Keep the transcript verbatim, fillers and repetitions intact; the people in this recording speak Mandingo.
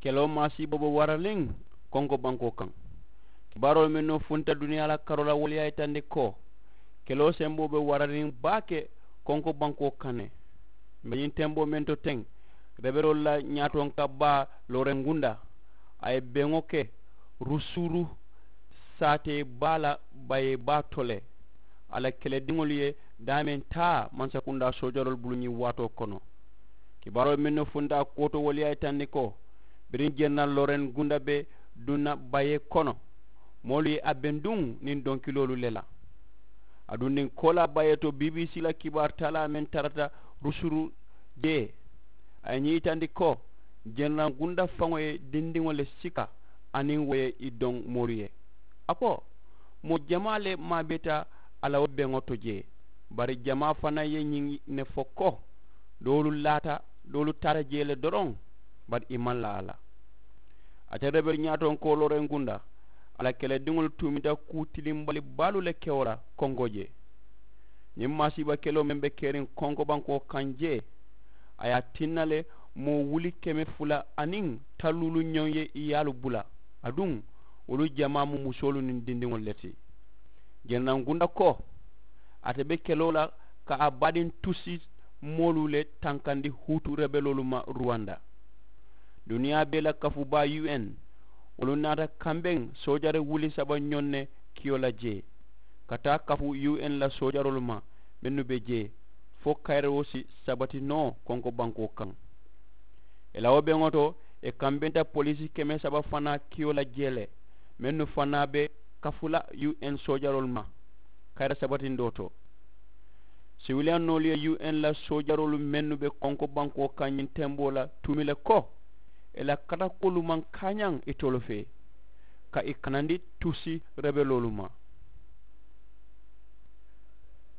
Keloo maasiiboo be waraniŋ konko bankoo kaŋ. Kibaaroolu mennu funta duniyaa la karoo la wolu ye a yitandi ko keloo semboo be waraniŋ baake konko bankoo kaŋ ne. Mbe ñiŋ temboo meŋ to teŋ, rebeloolu la ñaatonka baa looreŋ gunda a ye beŋo ke rusuuru saatee baa la bayee baa to le. A la kelediŋolu ye daameŋ taa mansakundaa soojaroolu bulu ñiŋ waatoo kono. Kibaaroo mennu funta a kuwo to wolu ye a yitandi ko biriŋ jeneraali loren gunda be duŋ na bayee kono. Moolu ye a benduŋ niŋ donkiloolu le la. Aduŋ niŋ koolaa bayee to bbc la kibaaru taalaa meŋ tarata rusuru jee, a ye ñiŋ yitandi ko jeneraali gunda faŋo ye dindiŋo le sika aniŋ wo ye i doŋ mooru ye. A ko moo jamaa le maabeeta a la wo beŋo to jee. Bari jamaa fanaa ye ñiŋ ne fo ko doolu laata doolu taata jee le doroŋ. Bari i maŋ laa a la. Ate rebelu ñaatonkoo looreŋ gunda a la kelediŋolu tuumita kuu tilimbali baalu le kewo la konko jee. Ñiŋ maasiiba keloo meŋ be keriŋ konko bankoo kaŋ jee a ye a tinna le moo wuli keme fula aniŋ talluulu ñoŋ ye i yaalu bula. Aduŋ wolu jamaa mu musoolu niŋ dindiŋolu le ti. Jeneraali gunda ko ate be keloo la ka a baadiŋ tusi moolu le tankandi huutu rebeloolu ma ruwanda. Duniyaa bee la kafu baa un wolu naata kambeŋ soojari wuli saba ñoŋ ne kiyo la jee ka taa kafu un la soojaroolu ma mennu be jee fo kayiroo si sabati noo konko bankoo kaŋ. Ì la wo beŋo to ì kambenta poliisi keme saba fanaa kiyo la jee le mennu fanaa be kafu la un soojaroolu ma kayira sabatindoo to. Siwiliyannoolu ye un la soojaroolu mennu be konko bankoo kaŋ ñiŋ temboo la tuumi le ko ì la katakuwolu maŋ kaañaŋ itolu fee ka ì kanandi tusi rebeloolu ma.